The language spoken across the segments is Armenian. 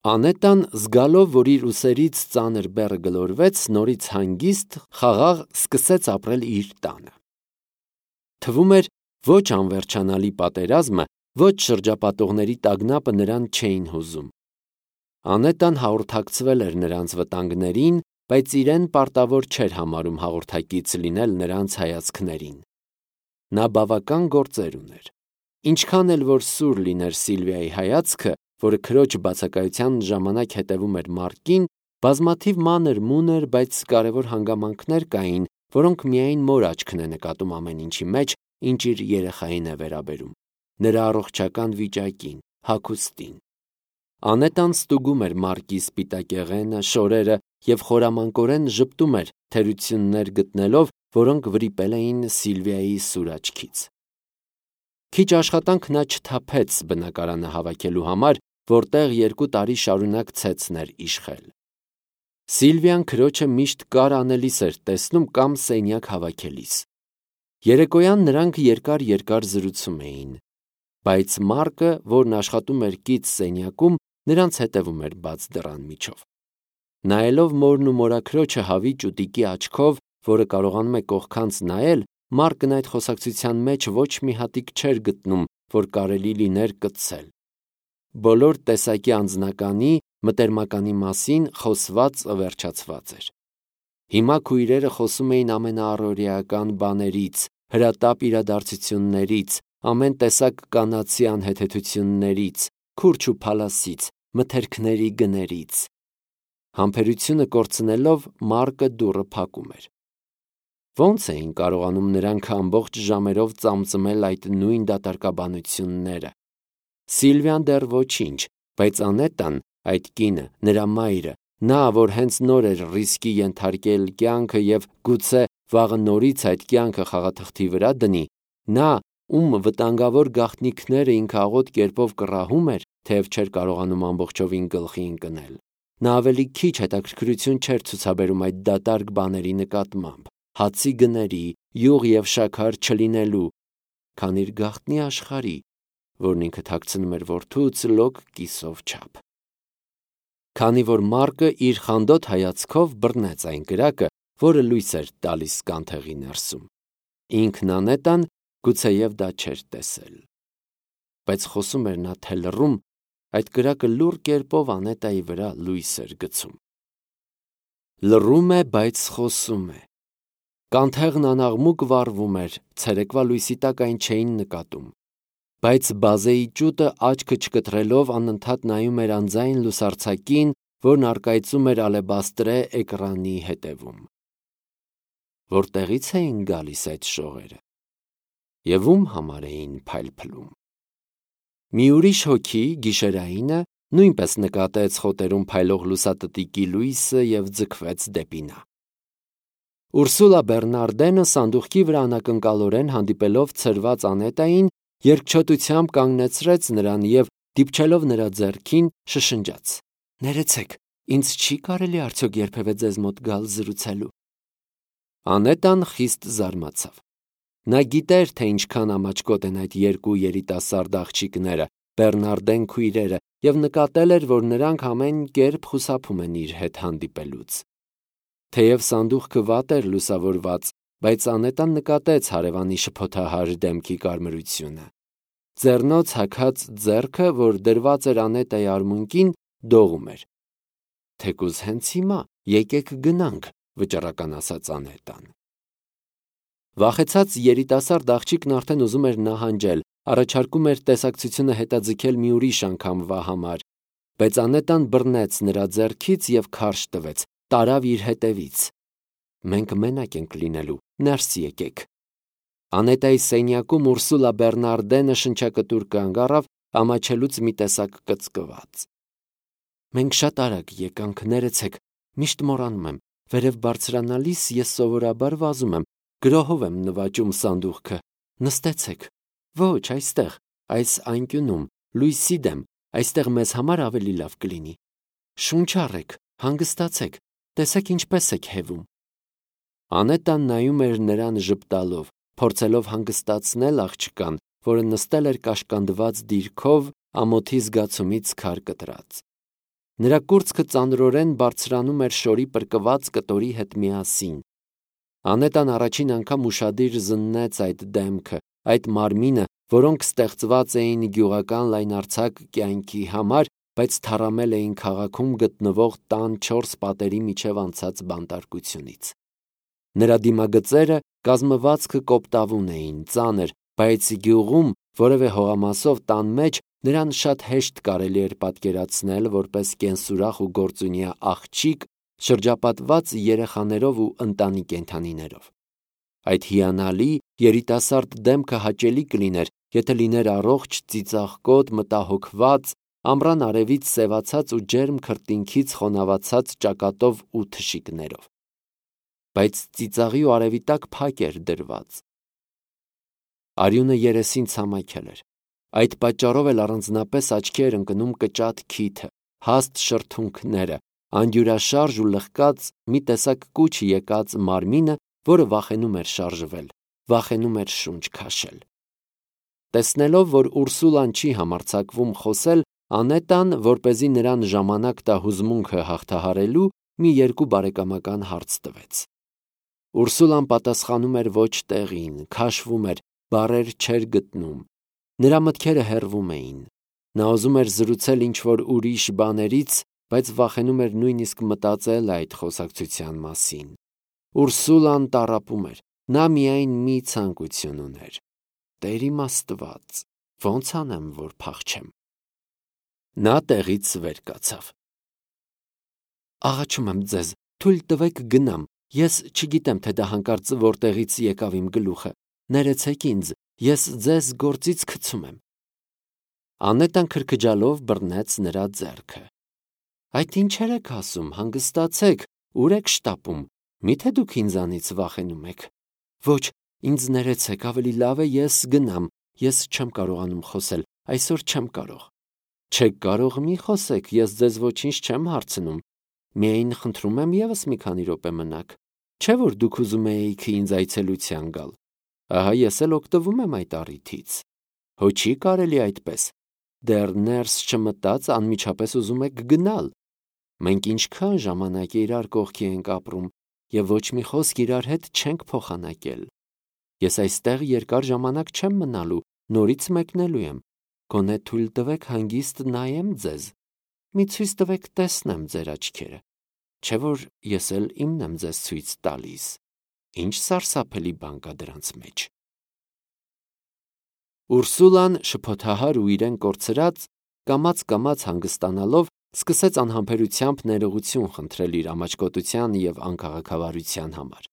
Անետան, զգալով, որ իր ուսերից ծանր բեռը գլորվեց, նորից հանգիստ, խաղաղ սկսեց ապրել իր տանը։ Թվում էր, ոչ անվերջանալի պատերազմը, ոչ շրջապատողների տագնապը նրան չէին հուզում։ Անետան հաղորդակցվել էր նրանց վտանգներին, բայց իրեն պարտավոր չէր համարում հաղորդակից լինել նրանց հայացքներին։ Նա բավական գործեր ուներ։ Ինչքան էլ որ սուր լիներ Սիլվիայի հայացքը, որը քրոջ բացակայության ժամանակ հետևում էր Մարկին, բազմաթիվ մանր-մունր, բայց կարևոր հանգամանքներ կային, որոնք միայն մոր աչքն է նկատում ամեն ինչի մեջ, ինչ իր երեխային է վերաբերում, նրա առողջական վիճակին, հագուստին։ Անետան ստուգում էր Մարկի սպիտակեղենը, շորերը և խորամանկորեն ժպտում էր թերություններ գտնելով, որոնք վրիպել էին Սիլվիայի սուր աչքից։ Քիչ աշխատանք նա չթափեց բնակարանը հավաքելու համար, որտեղ 2 տարի շարունակ ցեցն էր իշխել։ Սիլվիան քրոջը միշտ կար անելիս էր տեսնում կամ սենյակ հավաքելիս։ Երեկոյան նրանք երկար զրուցում էին, բայց Մարկը, որն աշխատում էր կից սենյակում, նրանց հետևում էր բաց դռան միջով։ Նայելով մորն ու մորաքրոջը հավիճ ու տիկի աչքով, որը կարողանում է կողքանց նայել, Մարկն այդ խոսակցության մեջ ոչ մի հատիկ չէր գտնում, որ կարելի լիներ կծել։ Բոլոր տեսակի անձնականի, մտերմականի մասին խոսվածը վերջացված էր։ Հիմա քույրերը խոսում էին ամենաառօրեական բաներից, հրատապ իրադարձություններից, ամեն տեսակ կանացի անհեթեթություններից, քուրջ ու փալասից, մթերքների գներից։ Համբերությունը կորցնելով Մարկը դուռը փակում էր։ Ոնց էին կարողանում նրանք ամբողջ ժամերով ծամծմել այդ նույն դատարկաբանությունները։ Սիլվիան դեռ ոչինչ, բայց Անետան, այդ կինը, նրա մայրը, նա, որ հենց նոր էր ռիսկի ենթարկել կյանքը և գուցե վաղը նորից այդ կյանքը խաղաթղթի վրա դնի, նա, ում վտանգավոր գաղտնիքները ինքը աղոտ կերպով կռահում էր, թեև չէր կարողանում ամբողջովին գլխի ընկնել։ Նա ավելի քիչ հետաքրքրություն չէր ցուցաբերում այդ դատարկ բաների նկատմամբ, հացի գների, յուղ և շաքար չլինելու, քան իր գաղտնի աշխարհի, որն ինքը թաքցնում էր որդուց լոկ կիսով չափ։ Քանի որ Մարկը իր խանդոտ հայացքով բռնեց այն կրակը, որը լույս էր տալիս կանթեղի ներսում։ Ինքն Անետան գուցեև դա չէր տեսել։ Բայց խոսում էր նա թե լռում, այդ կրակը լուռ կերպով Անետայի վրա լույս էր գցում։ Լռում է, բայց խոսում է։ Կանթեղն անաղմուկ վառվում էր, ցերեկվա լույսի տակ այն չէին նկատում։ Բայց բազեի ճուտը աչքը չկտրելով անընդհատ նայում էր անձայն լուսարձակին, որն առկայծում էր ալեբաստրե էկրանի հետևում։ Որտեղից էին գալիս այդ շողերը։ Եվ ում համար էին փայլփլում։ Մի ուրիշ հոգի, գիշերայինը, նույնպես նկատեց խոտերում փայլող լուսատտիկի լույսը և ձգվեց դեպի նա։ Ուրսուլա Բեռնարդենը սանդուղքի վրա անակնկալորեն հանդիպելով ցրված Անետային, երկչոտությամբ կանգնեցրեց նրան և, դիպչելով նրա ձեռքին, շշնջաց. «Ներեցեք, ինձ չի կարելի արդյոք երբևէ ձեզ մոտ գալ զրուցելու»։ Անետան խիստ զարմացավ։ Նա գիտեր, թե ինչքան ամաչկոտ են այդ 2 երիտասարդ աղջիկները, Բեռնարդեն քույրերը, և նկատել էր, որ նրանք ամեն կերպ խուսափում են իր հետ հանդիպելուց։ Թեև սանդուղքը վատ էր լուսավորված, բայց Անետան նկատեց հարևանի շփոթահար դեմքի կարմրությունը։ Ձեռնոց հագած ձեռքը, որ դրված էր Անետայի արմունկին, դողում էր։ «Թեկուզ հենց հիմա, եկեք գնանք», վճռական ասաց Անետան։ Վախեցած երիտասարդ աղջիկն արդեն ուզում էր նահանջել, առաջարկում էր տեսակցությունը հետաձգել մի ուրիշ անգամվա համար, բայց Անետան բռնեց նրա ձեռքից և քարշ տվեց, տարավ իր հետևից։ «Մենք մենակ ենք լինելու, ներս եկեք»։ Անետայի սենյակում Ուրսուլա Բեռնարդենը շնչակտուր կանգ առավ, ամաչելուց մի տեսակ կծկված։ «Մենք շատ արագ եկանք, ներեցեք, միշտ մոռանում եմ, վերև բարձրանալիս ես սովորաբար վազում եմ, գրոհով եմ նվաճում սանդուղքը, նստեցեք։ Ոչ, այստեղ, այս անկյունում, լույսի դեմ, այստեղ մեզ համար ավելի լավ կլինի։ Շունչ առեք, հանգստացեք, տեսեք ինչպես եք հևում»։ Անետան նայում էր նրան ժպտալով, փորձելով հանգստացնել աղջկան, որը նստել էր կաշկանդված դիրքով, ամոթի զգացումից քար կտրած։ Նրա կուրծքը ծանրորեն բարձրանում էր շորի պրկված կտորի հետ միասին։ Անետան առաջին անգամ ուշադիր զննեց այդ դեմքը, այդ մարմինը, որոնք ստեղծված էին գյուղական լայնարձակ կյանքի համար, բայց թառամել էին քաղաքում գտնվող տան 4 պատերի միջև անցած բանտարկությունից։ Նրա դիմագծերը կազմվածքը կոպտավուն էին, ծանր, բայց գյուղում որևէ հողամասով տան մեջ նրան շատ հեշտ կարելի էր պատկերացնել որպես կենսուրախ ու գործունյա աղջիկ, շրջապատված երեխաներով ու ընտանի կենդանիներով։ Այդ հիանալի երիտասարդ դեմքը հաճելի կլիներ, եթե լիներ առողջ, ծիծաղկոտ, մտահոգված, ամռան արևից սևացած ու ջերմ քրտինքից խոնավացած ճակատով ու թշիկներով։ Բայց ծիծաղի ու արևի տակ փակ էր դրված։ Արյունը երեսին ցամաքել էր։ Այդ պատճառով էլ առանձնապես աչքի էր ընկնում կճատ քիթը, հաստ շրթունքները, անդյուրաշարժ ու լղկած մի տեսակ կուչ եկած մարմինը, որը վախենում էր շարժվել, վախենում էր շունչ քաշել։ Տեսնելով, որ Ուրսուլան չի համարձակվում խոսել, Անետան, որպեսզի նրան ժամանակ տա հուզմունքը հաղթահարելու, մի երկու բարեկամական հարց տվեց։ Ուրսուլան պատասխանում էր ոչ տեղին, քաշվում էր, բառեր չէր գտնում։ Նրա մտքերը հեռվում էին։ Նա ուզում էր զրուցել ինչ-որ ուրիշ բաներից, բայց վախենում էր նույնիսկ մտածել այդ խոսակցության մասին։ Ուրսուլան տառապում էր։ Նա միայն մի ցանկություն ուներ. Տեր իմ Աստված, ո՞նց անեմ, որ փախչեմ։ Նա տեղից վեր կացավ։ Աղաչում եմ ձեզ, թույլ տվեք գնամ։ Ես չգիտեմ, թե դա հանկարծ որտեղից եկավ իմ գլուխը։ Ներեցեք ինձ, ես ձեզ գործից գցում եմ։ Անետան քրքջալով բռնեց նրա ձեռքը։ Այդ ինչեր եք ասում, հանգստացեք, ուր եք շտապում։ Միթե դուք ինձանից վախենում եք։ Ոչ, ինձ ներեցեք, ավելի լավ է ես գնամ։ Ես չեմ կարողանում խոսել, այսօր չեմ կարող։ Չեք կարող, մի խոսեք, ես ձեզ ոչինչ չեմ հարցնում։ Միայն խնդրում եմ ևս մի քանի րոպե մնաք։ Չէ՞ որ դուք ուզում էիք ինձ այցելության գալ։ Ահա ես էլ օգտվում եմ այդ առիթից։ Հո չի կարելի այդպես։ Դեռ ներս չմտած անմիջապես ուզում եք գնալ։ Մենք ինչքան ժամանակ իրար կողքի ենք ապրում, եւ ոչ մի խոսք իրար հետ չենք փոխանակել։ Ես այստեղ երկար ժամանակ չեմ մնալու, նորից մեկնելու եմ։ Գոնե թույլ տվեք հանգիստ նայեմ ձեզ։ Մի ցույց տվեք տեսնեմ ձեր աչքերը։ Չէ՞ որ ես էլ իմն եմ ձեզ ցույց տալիս։ Ինչ սարսափելի բան կա դրանց մեջ։ Ուրսուլան շփոթահար ու իրեն կորցրած, կամաց հանգստանալով, սկսեց անհամբերությամբ ներողություն խնդրել իր ամաչկոտության եւ անքաղաքավարության համար։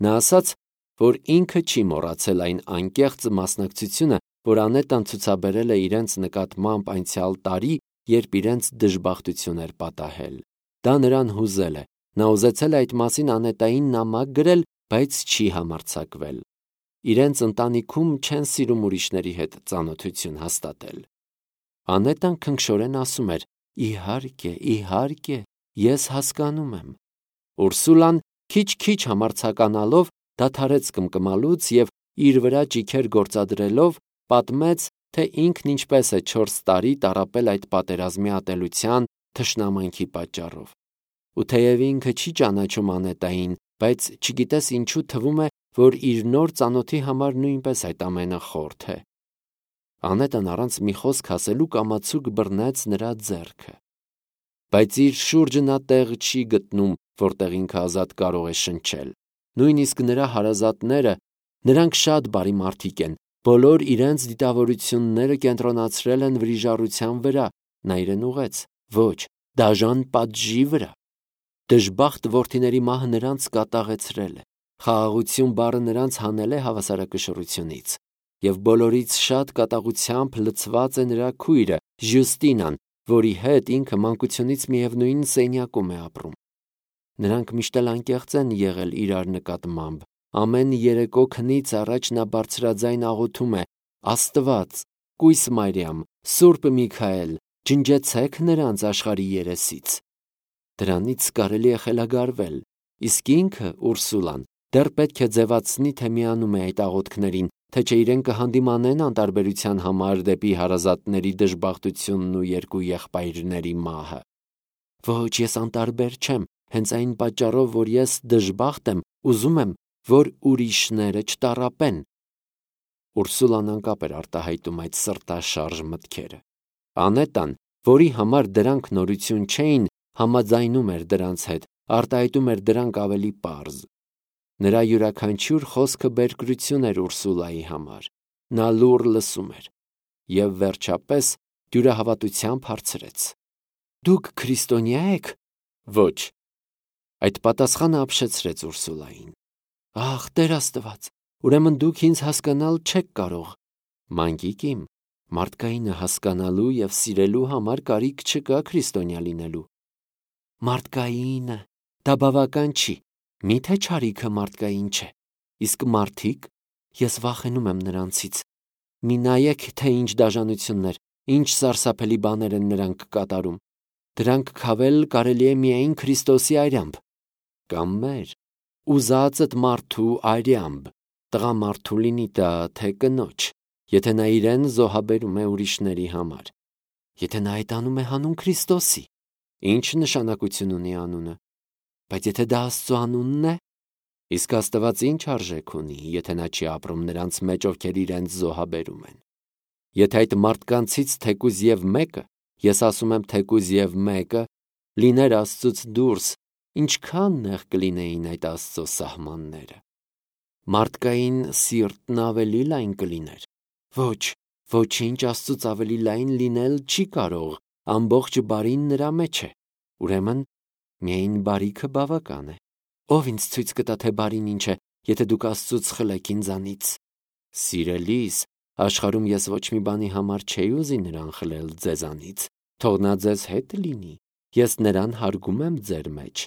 Նա ասաց, որ ինքը չի մոռացել այն անկեղծ մասնակցությունը, որ Անետան ցուցաբերել է իրենց նկատմամբ անցյալ տարի, երբ իրենց դժբախտություն էր պատահել։ Դա նրան հուզել է։ Նա ուզեցել է այդ մասին Անետային նամակ գրել, բայց չի համարձակվել։ Իրենց ընտանիքում չեն սիրում ուրիշների հետ ծանոթություն հաստատել։ Անետան քնքշորեն ասում էր. Իհարկե, իհարկե, ես հասկանում եմ։ Ուրսուլան քիչ-քիչ համարձականալով դադարեց կմկմալուց եւ իր վրա ճիքեր գործադրելով պատմեց, թե ինքն ինչպես է 4 տարի տառապել այդ պատերազմի ատելության, թշնամանքի պատճառով։ Ու թեև ինքը չի ճանաչում Անետային, բայց չգիտես ինչու թվում է, որ իր նոր ծանոթի համար նույնպես այդ ամենը խորթ է։ Անետան առանց մի խոսք ասելու կամացուկ բռնեց նրա ձեռքը։ Բայց իր շուրջը նա տեղ չի գտնում, որտեղ ինքը ազատ կարող է շնչել։ Նույնիսկ նրա հարազատները, նրանք շատ բարի մարդիկ են, բոլոր իրենց դիտավորությունները կենտրոնացրել են վրիժառության վրա, նա իրեն ուղեց, ոչ, դաժան պատժի վրա։ Դժբախտ որդիների մահը նրանց կատաղեցրել է, խաղաղություն բառը նրանց հանել է հավասարակշռությունից, եւ բոլորից շատ կատաղությամբ լցված է նրա քույրը Ժյուստինան, որի հետ ինքը մանկությունից միևնույն սենյակում է ապրում։ Նրանք միշտ էլ անկեղծ են եղել իրար նկատմամբ։ Ամեն երեկո քնից առաջ նա բարձրաձայն աղոթում է. Աստված, Կույս Մարիամ, Սուրբ Միքայել, ջնջեցեք նրանց աշխարհի երեսից։ Դրանից կարելի է խելագարվել, իսկ ինքը, Ուրսուլան, դեռ պետք է ձևացնի, թե միանում է այդ աղոթքներին, թե չէ իրեն կհանդիմանեն անտարբերության համար դեպի հարազատների դժբախտությունն ու երկու եղբայրների մահը։ Ոչ, ես անտարբեր չեմ, հենց այն պատճառով, որ ես դժբախտ եմ, ուզում եմ, որ ուրիշները չտառապեն։ Ուրսուլան անկապ էր արտահայտում այդ սրտաշարժ մտքերը։ Անետան, որի համար դրանք նորություն չէին, համաձայնում էր դրանց հետ, արտահայտում էր դրանք ավելի պարզ։ Նրա յուրաքանչյուր խոսքը բերկրություն էր Ուրսուլայի համար։ Նա լուռ լսում էր և վերջապես դյուրահավատությամբ հարցրեց. «Դուք քրիստոնյա եք»։ Ոչ։ Այդ պատասխանը ապշեցրեց Ուրսուլային։ Ահ, Տեր Աստված, ուրեմն դուք ինձ հասկանալ չեք կարող։ Մանկիկ իմ, մարդկայինը հասկանալու և սիրելու համար կարիք չկա քրիստոնյա լինելու։ Մարդկայինը, դա բավական չի։ Միթե չարիքը մարդկային չէ։ Իսկ մարդիկ, ես վախենում եմ նրանցից։ Մի նայեք, թե ինչ դաժանություններ, ինչ սարսափելի բաներ են նրանք կատարում։ Դրանք քավել կարելի է միայն Քրիստոսի արյամբ, կամ մեր ուզածդ մարդու արյամբ, տղամարդու լինի դա, թե կնոջ, եթե նա իրեն զոհաբերում է ուրիշների համար, եթե նա այդ անում է հանուն Քրիստոսի, ինչ նշանակություն ունի անունը, բայց եթե դա Աստծո անունն է, իսկ Աստված ինչ արժեք ունի, եթե նա չի ապրում նրանց մեջ, ովքեր իրենց զոհաբերում են։ Եթե այդ մարդկանցից թեկուզ և մեկը, ես ասում եմ թեկուզ և մեկը, լիներ Աստծուց դուրս, ինչքան նեղ կլինեին այդ Աստծո սահմանները։ Մարդկային սիրտն ավելի լայն կլիներ։ Ոչ, ոչինչ Աստծուց ավելի լայն լինել չի կարող, ամբողջ բարին նրա մեջ է։ Ուրեմն միայն բարիքը բավական է։ Ով ինձ ցույց կտա, թե բարին ինչ է, եթե դուք Աստծուց խլեք ինձանից։ Սիրելիս, աշխարհում ես ոչ մի բանի համար չէի ուզի նրան խլել ձեզանից։ Թող նա ձեզ հետ լինի։ Ես նրան հարգում եմ ձեր մեջ։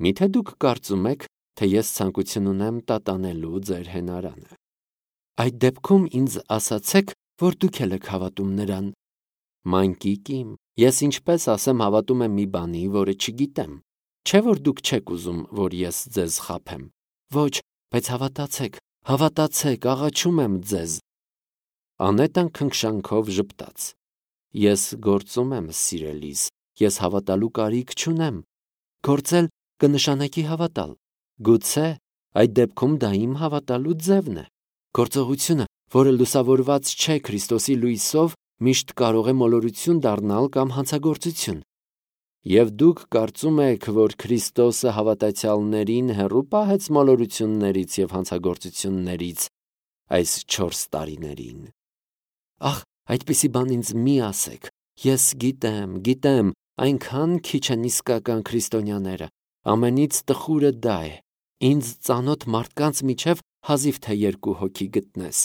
Միթե դուք կարծում եք, թե ես ցանկություն ունեմ տատանելու ձեր հենարանը։ Այդ դեպքում ինձ ասացեք, որ դուք էլ եք հավատում նրան։ Մանկիկ իմ, ես ինչպես ասեմ հավատում եմ մի բանի, որը չգիտեմ։ Չէ՞ որ դուք չեք ուզում, որ ես ձեզ խաբեմ։ Ոչ, բայց հավատացեք, հավատացեք, աղաչում եմ ձեզ։ Անետան քնքշանքով ժպտաց. Ես գործում եմ, սիրելիս, ես հավատալու կարիք չունեմ։ Գործել կնշանակի հավատալ։ Գուցե այդ դեպքում դա իմ հավատալու ձևն է։ Գործողությունը, որը լուսավորված չէ Քրիստոսի լույսով, միշտ կարող է մոլորություն դառնալ կամ հանցագործություն։ Եվ դուք կարծում եք, որ Քրիստոսը հավատացյալներին հեռու պահեց մոլորություններից և հանցագործություններից այս 4 տարիներին։ Ախ, այդպիսի բան ինձ մի ասեք։ Ես գիտեմ, այնքան քիչ են իսկական քրիստոնյաները։ Ամենից տխուրը դա է։ Ինձ ծանոթ մարդկանց միջև հազիվ թե 2 հոգի գտնես։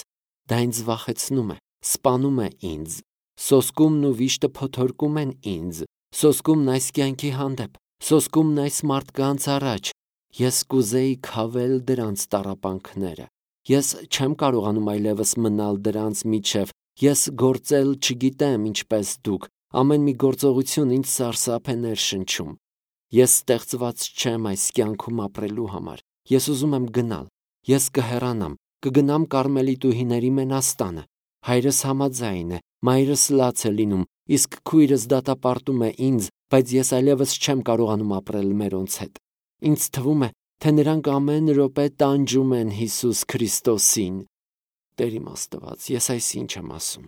Դա ինձ վախեցնում է, սպանում է ինձ։ Սոսկումն ու վիշտը փոթորկում են ինձ։ Սոսկումն այս կյանքի հանդեպ, սոսկումն այս մարդկանց առաջ։ Ես կուզեի քավել դրանց տառապանքները։ Ես չեմ կարողանում այլևս մնալ դրանց միջև։ Ես գործել չգիտեմ ինչպես դուք։ Ամեն մի գործողություն ինձ սարսափ է ներշնչում։ Ես ստեղծված չեմ այս կյանքում ապրելու համար։ Ես ուզում եմ գնալ։ Ես կհեռանամ, կգնամ Կարմելիտուհիների մենաստանը։ Հայրս համաձայն է, մայրս լաց է լինում, իսկ քույրս դատապարտում է ինձ, բայց ես այլևս չեմ կարողանում ապրել մերոնց հետ։ Ինձ թվում է, թե նրանք ամեն րոպե տանջում են Հիսուս Քրիստոսին։ Տեր իմ Աստված, ես այս ինչ եմ ասում։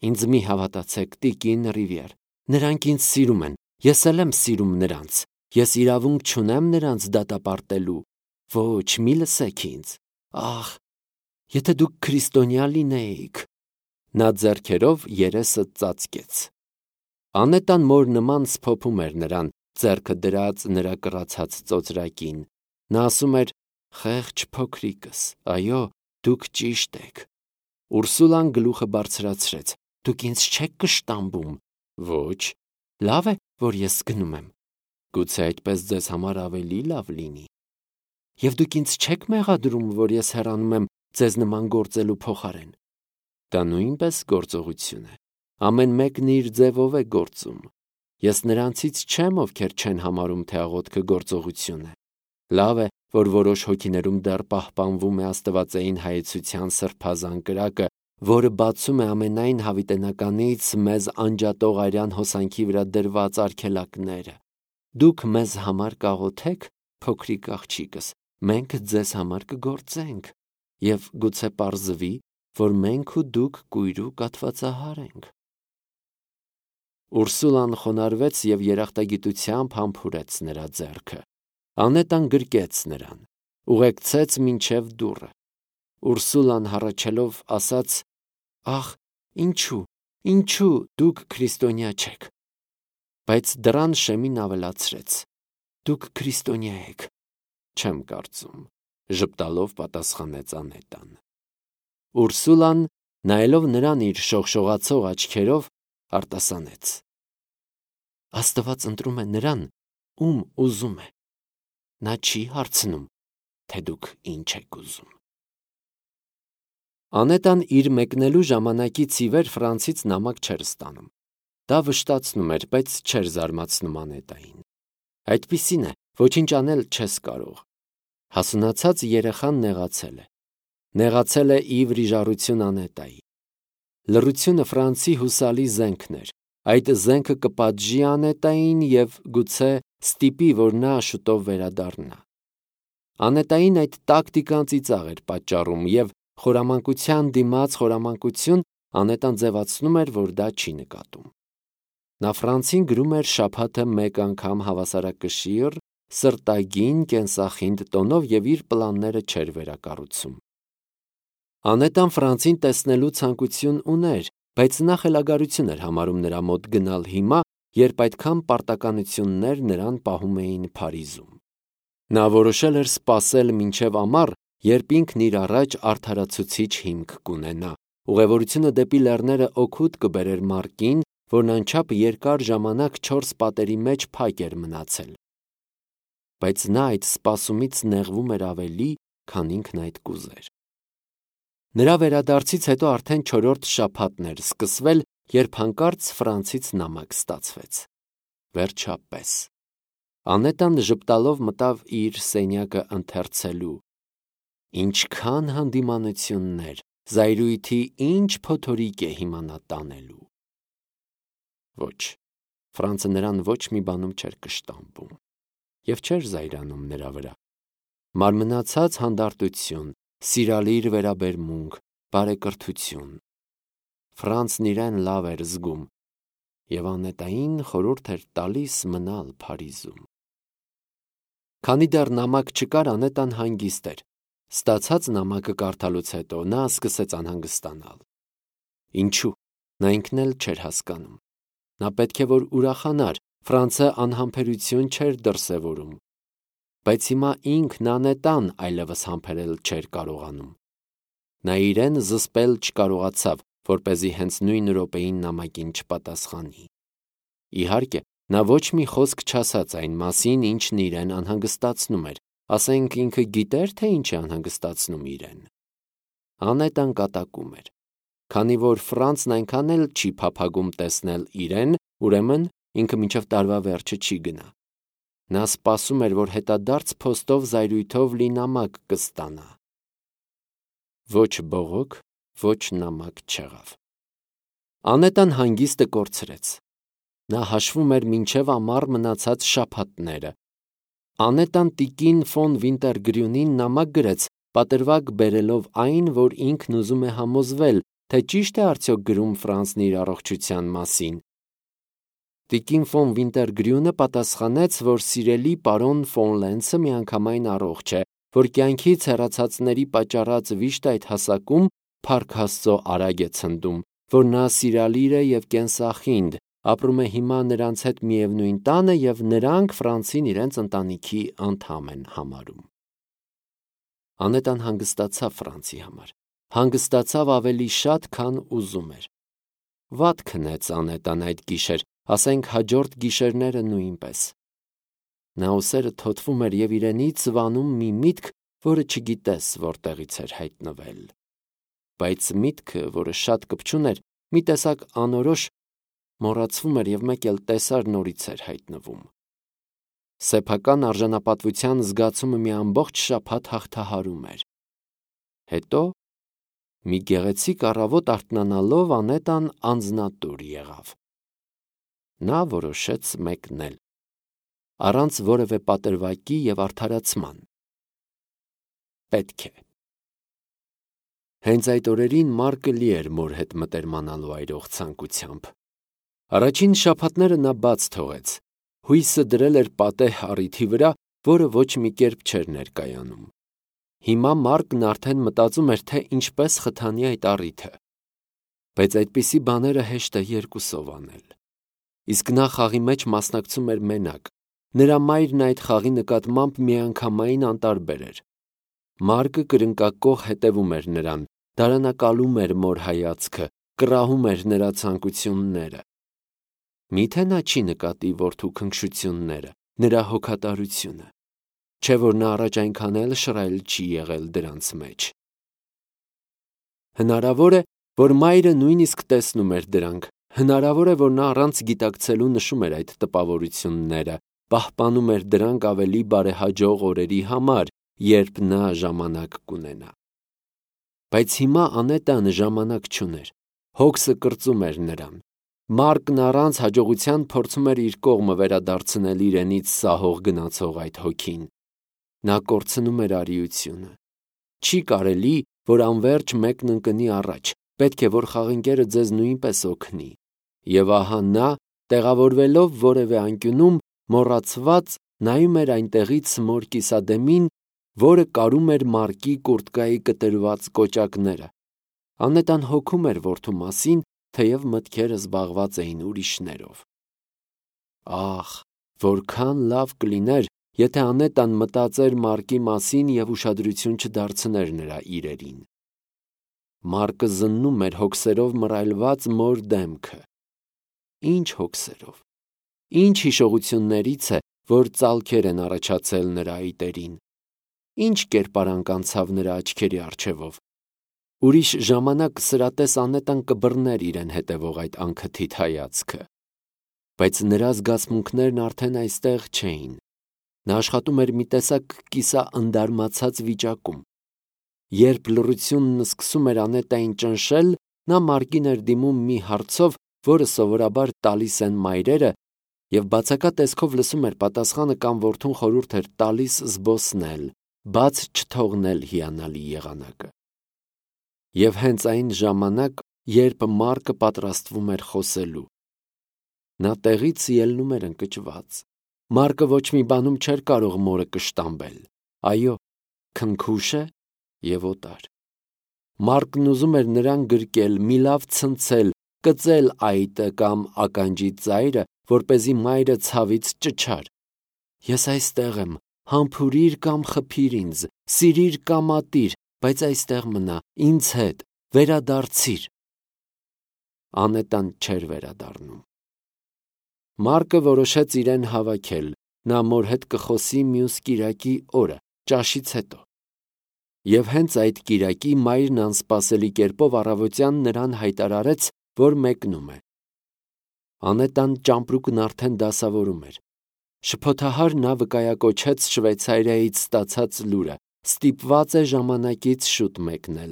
Ինձ մի հավատացեք, տիկին Ռիվիեր։ Նրանք ինձ սիրում են, ես էլ եմ սիրում նրանց։ Ես իրավունք չունեմ նրանց դատապարտելու։ Ոչ, մի լսեք ինձ։ Ախ, եթե դուք քրիստոնյա լինեիք։ Նա ձեռքերով երեսը ծածկեց։ Անետան մոր նման սփոփում էր նրան, ձեռքը դրած նրա կռացած ծոծրակին։ Նա ասում էր. «Խեղճ փոքրիկս, այո, դուք ճիշտ եք»։ Ուրսուլան գլուխը բարձրացրեց. «Դուք ինձ չեք կշտամբում»։ Ոչ, լավ է, որ ես գնում եմ։ Գուցե այդպես ձեզ համար ավելի լավ լինի։ Եվ դուք ինձ չեք մեղադրում, որ ես հեռանում եմ ձեզ նման գործելու փոխարեն։ Դա նույնպես գործողություն է։ Ամեն մեկն իր ձևով է գործում։ Ես նրանցից չեմ, ովքեր չեն համարում, թե աղոթքը գործողություն է։ Լավ է, որ որոշ հոգիներում դեռ պահպանվում է աստվածային հայեցության սրբազան կրակը, որը բացում է ամենայն հավիտենականից մեզ անջատող արյան հոսանքի վրա դրված արգելակները։ Դուք մեզ համար կաղոթեք, փոքրիկ աղջիկս, մենք ձեզ համար կգործենք, եւ գուցե պարզվի, որ մենք ու դուք կույր ու կաթվածահար ենք։ Ուրսուլան խոնարհվեց եւ երախտագիտությամբ համբուրեց նրա ձեռքը։ Անետան գրկեց նրան, ուղեկցեց մինչև դուռը։ Ուրսուլան հառաչելով ասաց. «Ախ, ինչու դուք քրիստոնյա չեք»։ Բայց դռան շեմին ավելացրեց. «Դուք քրիստոնյա եք»։ Չեմ կարծում, ժպտալով պատասխանեց Անետան։ Ուրսուլան, նայելով նրան իր շողշողացող աչքերով, արտասանեց. «Աստված ընտրում է նրան, ում ուզում է։ Նա չի հարցնում, թե դուք ինչ եք ուզում»։ Անետան իր մեկնելու ժամանակից ի վեր Ֆրանսից նամակ չէր ստանում։ Դա վշտացնում էր, բայց չէր զարմացնում Անետային։ Այդպիսին է, ոչինչ անել չես կարող։ Հասունացած երեխան նեղացել է։ Նեղացել է ի վրիժառություն Անետայի։ Լռությունը Ֆրանսի հուսալի զենքն էր։ Այդ զենքը կպատժի Անետային եւ գուցե ստիպի, որ նա շուտով վերադառնա։ Անետային այդ տակտիկան ծիծաղ էր պատճառում եւ խորամանկության դիմաց խորամանկություն Անետան ձևացնում էր, որ դա չի նկատում։ Նա Ֆրանսին գրում էր շաբաթը մեկ անգամ հավասարակշիռ, սրտագին, կենսախինդ տոնով եւ իր պլանները չէր վերակառուցում։ Անետան Ֆրանսին տեսնելու ցանկություն ուներ, բայց նա խելագարություն էր համարում նրա մոտ գնալ հիմա, երբ այդքան պարտականություններ նրան պահում էին Փարիզում։ Նա որոշել էր սպասել մինչև ամառ, երբ ինքն իր առաջ արդարացուցիչ հիմք կունենա։ Ուղևորությունը դեպի լեռները օգուտ կբերեր Մարկին, որն անչափ երկար ժամանակ 4 պատերի մեջ փակ էր մնացել։ Բայց նա այդ սպասումից նեղվում էր ավելի, քան ինքն այդ կուզեր։ Նրա վերադարձից հետո արդեն 4-րդ շաբաթն էր սկսվել, երբ հանկարծ Ֆրանսից նամակ ստացվեց։ Վերջապես Անետան ժպտալով մտավ իր սենյակը ընթերցելու։ Ինչքան հանդիմանություններ, զայրույթի ինչ փոթորիկ է հիմա նա տանելու։ Ոչ, Ֆրանսը նրան ոչ մի բանում չէր կշտամբում եւ չէր զայրանում նրա վրա։ Մարմնացած հանդարտություն, սիրալիր վերաբերմունք, բարեկրթություն։ Ֆրանսն իրեն լավ էր զգում եւ Անետային խորհուրդ էր տալիս մնալ Փարիզում։ Քանի դեռ նամակ չկար, Անետան հանգիստ էր։ Ստացած նամակը կարդալուց հետո նա սկսեց անհանգստանալ։ Ինչու՞։ Նա ինքն էլ չէր հասկանում։ Նա պետք է որ ուրախանար, Ֆրանսը անհամբերություն չէր դրսևորում։ Բայց հիմա ինքն Անետան այլևս համբերել չէր կարողանում։ Նա իրեն զսպել չկարողացավ, որպեսզի հենց նույն րոպեին նամակին չպատասխանի։ Իհարկե, նա ոչ մի խոսք չասաց այն մասին, ինչն իրեն անհանգստացնում էր, ասենք ինքը գիտեր, թե ինչ է անհանգստացնում իրեն։ Անետան կատակում էր։ Քանի որ Ֆրանսն այնքան էլ չի փափագում տեսնել իրեն, ուրեմն ինքը մինչև տարվա վերջը չի գնա։ Նա սպասում էր, որ հետադարձ փոստով զայրույթով լի նամակ կստանա։ Ոչ բողոք, ոչ նամակ չեղավ։ Անետան հանգիստը կորցրեց։ Նա հաշվում էր մինչև ամառ մնացած շաբաթները։ Անետան տիկին ֆոն Վինտերգրյունին նամակ գրեց, պատրվակ բերելով այն, որ ինքն ուզում է համոզվել, թե ճիշտ է արդյոք գրում Ֆրանսն իր առողջության մասին։ Տիկին ֆոն Վինտերգրյունը պատասխանեց, որ սիրելի պարոն ֆոն Լենցը միանգամայն առողջ է, որ կյանքից հեռացածների պատճառած վիշտ այդ հասակում Փառք Աստծո արագ է ցնդում, որ նա սիրալիր է եւ կենսախինդ, ապրում է հիմա նրանց հետ միևնույն տանը եւ նրանք Ֆրանսին իրենց ընտանիքի անդամ են համարում։ Անետան հանգստացավ Ֆրանսի համար։ Հանգստացավ ավելի շատ, քան ուզում էր։ Վատ քնեց Անետան այդ գիշեր, ասենք հաջորդ գիշերները նույնպես։ Նա ուսերը թոթվում էր եւ իրենից վանում մի միտք, որը չգիտես որտեղից էր հայտնվել։ Բայց միտքը, որը շատ կպչուն էր, մի տեսակ անորոշ մոռացվում էր եւ մեկ էլ տեսար նորից էր հայտնվում։ Սեփական արժանապատվության զգացումը մի ամբողջ շաբաթ հաղթահարում էր։ Հետո մի գեղեցիկ առավոտ արթնանալով Անետան անձնատուր եղավ։ Նա որոշեց մեկնել։ առանց որևէ պատրվակի եւ արդարացման։ Պետք է։ Հենց այդ օրերին Մարկը լի էր մոր հետ մտերմանալու այրող ցանկությամբ։ Առաջին շաբաթները նա բաց թողեց, հույսը դրել էր պատեհ առիթի վրա, որը ոչ մի կերպ չէր ներկայանում։ Հիմա Մարկն արդեն մտածում էր, թե ինչպես խթանի այդ առիթը։ Բայց այդպիսի բաները հեշտ է երկուսով անել։ Իսկ նա խաղի մեջ մասնակցում էր մենակ։ Նրա մայրն այդ խաղի նկատմամբ միանգամայն անտարբեր էր։ Մարկը կրնկակող հետևում էր նրան, դարանակալում էր մոր հայացքը, կռահում էր նրա ցանկությունները։ Միթե նա չի նկատի որդու քնքշությունները, նրա հոգատարությունը, չէ որ նա առաջ այնքան էլ շռայլ չի եղել դրանց մեջ։ Հնարավոր է, որ մայրը նույնիսկ տեսնում էր դրանք, հնարավոր է, որ նա առանց գիտակցելու նշում էր այդ տպավորությունները, պահպանում էր դրանք ավելի բարեհաջող օրերի համար, երբ նա ժամանակ կունենա։ Բայց հիմա Անետան ժամանակ չուներ, հոգսը կրծում էր նրան։ Մարկն առանց հաջողության փորձում էր իր կողմը վերադարձնել իրենից սահող գնացող այդ հոգին։ Նա կորցնում էր արիությունը։ Չի կարելի, որ անverջ մեկն ընկնի առաջ, պետք է, որ խաղընկերը ձեզ նույնպես օգնի։ Եվ ահա նա, տեղավորվելով որևէ անկյունում, մոռացված նայում էր այնտեղից մոր կիսադեմին, որը կարում էր Մարկի կուրտկայի կտրված կոճակները։ Անետան հոգում էր որդու մասին, թեև մտքերը զբաղված էին ուրիշներով։ Ահ, որքան լավ կլիներ, եթե Անետան մտածեր Մարկի մասին և ուշադրություն չդարձներ նրա իրերին։ Մարկը զննում էր հոգսերով մռայլված մոր դեմքը։ Ինչ հոգսերով, ինչ հիշողություններից է, որ ծալքեր են առաջացել նրա այտերին։ Ինչ կերպարանք անցավ նրա աչքերի առջևով։ Ուրիշ ժամանակ սրատես Անետան կբռներ իրեն հետևող այդ անքթիթ հայացքը։ Բայց նրա զգացմունքներն արդեն այստեղ չէին։ Նա աշխատում էր մի տեսակ կիսաընդարմացած վիճակում։ Երբ լռությունն սկսում էր Անետային ճնշել, նա Մարկին էր դիմում մի հարցով, որը սովորաբար տալիս են մայրերը, և բացակա տեսքով լսում էր պատասխանը կամ որդուն խորհուրդ էր տալիս զբոսնել, բաց չթողնել հիանալի եղանակը։ Եվ հենց այն ժամանակ, երբ Մարկը պատրաստվում էր խոսելու, նա տեղից ելնում էր ընկճված։ Մարկը ոչ մի բանում չէր կարող մորը կշտամբել։ Այո, քնքուշ է և օտար։ Մարկն ուզում էր նրան գրկել, մի լավ ցնցել, կծել այտը կամ ականջի ծայրը, որպեսզի մայրը ցավից ճչար։ Ես այստեղ եմ, համբուրիր կամ խփիր ինձ, սիրիր կամ ատիր, բայց այստեղ մնա, ինձ հետ, վերադարձիր։ Անետան չէր վերադառնում։ Մարկը որոշեց իրեն հավաքել, նա մոր հետ կխոսի մյուս կիրակի օրը, ճաշից հետո։ Եվ հենց այդ կիրակի մայրն անսպասելի կերպով առավոտյան նրան հայտարարեց, որ մեկնում է։ Անետան ճամպրուկն արդեն դասավորում էր։ Շփոթահար նա վկայակոչեց Շվեյցարիայից ստացած լուրը, ստիպված է ժամանակից շուտ մեկնել։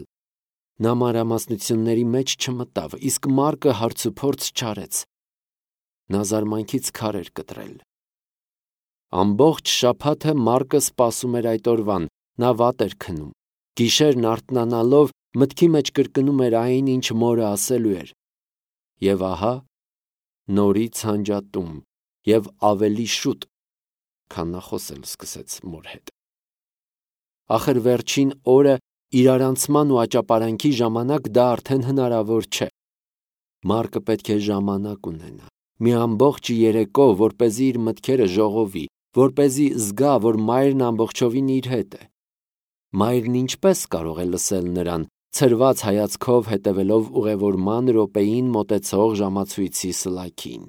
Նա մանրամասնությունների մեջ չմտավ, իսկ Մարկը հարցուփորձ չարեց։ Նա զարմանքից քար էր կտրել։ Ամբողջ շաբաթը Մարկը սպասում էր այդ օրվան, նա վատ էր քնում։ Գիշերն արթնանալով մտքի մեջ կրկնում էր այն, ինչ մորը ասելու էր։ Եվ ահա, նորից հանջատում, և ավելի շուտ, քան նա խոսել սկսեց մոր հետ։ Ախր վերջին օրը իրարանցման ու աճապարանքի ժամանակ դա արդեն հնարավոր չէ։ Մարկը պետք է ժամանակ ունենա, մի ամբողջ երեկո, որպեսզի իր մտքերը ժողովի, որպեսզի զգա, որ մայրն ամբողջովին իր հետ է։ Մայրն ինչպես կարող է լսել նրան, ցրված հայացքով հետևելով ուղևորման րոպեին մոտեցող ժամացույցի սլաքին։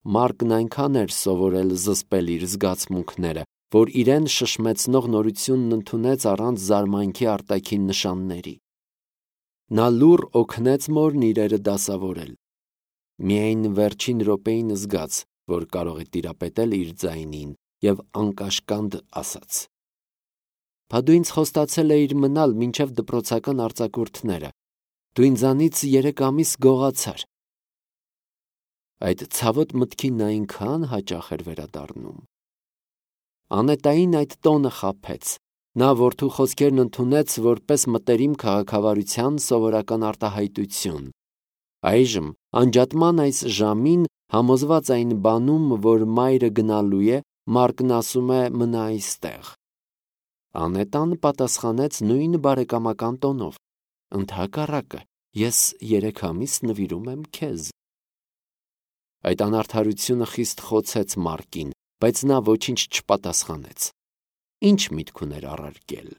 Մարկն այնքան էր սովորել զսպել իր զգացմունքները, որ իրեն շշմեցնող նորությունն ընդունեց առանց զարմանքի արտաքին նշանների։ Նա լուռ օգնեց մորն իրերը դասավորել։ Միայն վերջին րոպեին զգաց, որ կարող է տիրապետել իր ձայնին, և անկաշկանդ ասաց. «Բա դու ինձ խոստացել էիր մնալ մինչև դպրոցական արձակուրդները։ Դու ինձանից 3 ամիս գողացար»։ Այդ ցավոտ մտքին նա այնքան հաճախ էր վերադառնում։ Անետային այդ տոնը խաբեց։ Նա որդու խոսքերն ընդունեց որպես մտերիմ քաղաքավարության սովորական արտահայտություն։ Այժմ, անջատման այս ժամին, համոզված այն բանում, որ մայրը գնալու է, Մարկն ասում է մնա այստեղ։ Անետան պատասխանեց նույն բարեկամական տոնով. ընդհակառակը, ես 3 ամիս նվիրում եմ քեզ։ Այդ անարդարությունը խիստ խոցեց Մարկին, բայց նա ոչինչ չպատասխանեց։ Ինչ միտք ուներ առարկել։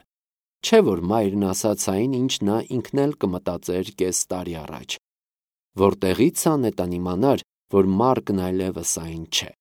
Չէ՞ որ մայրն ասաց այն, ինչ նա ինքն էլ կմտածեր կես տարի առաջ։ Որտեղի՞ց Անետան իմանար, որ Մարկն այլևս այն չէ։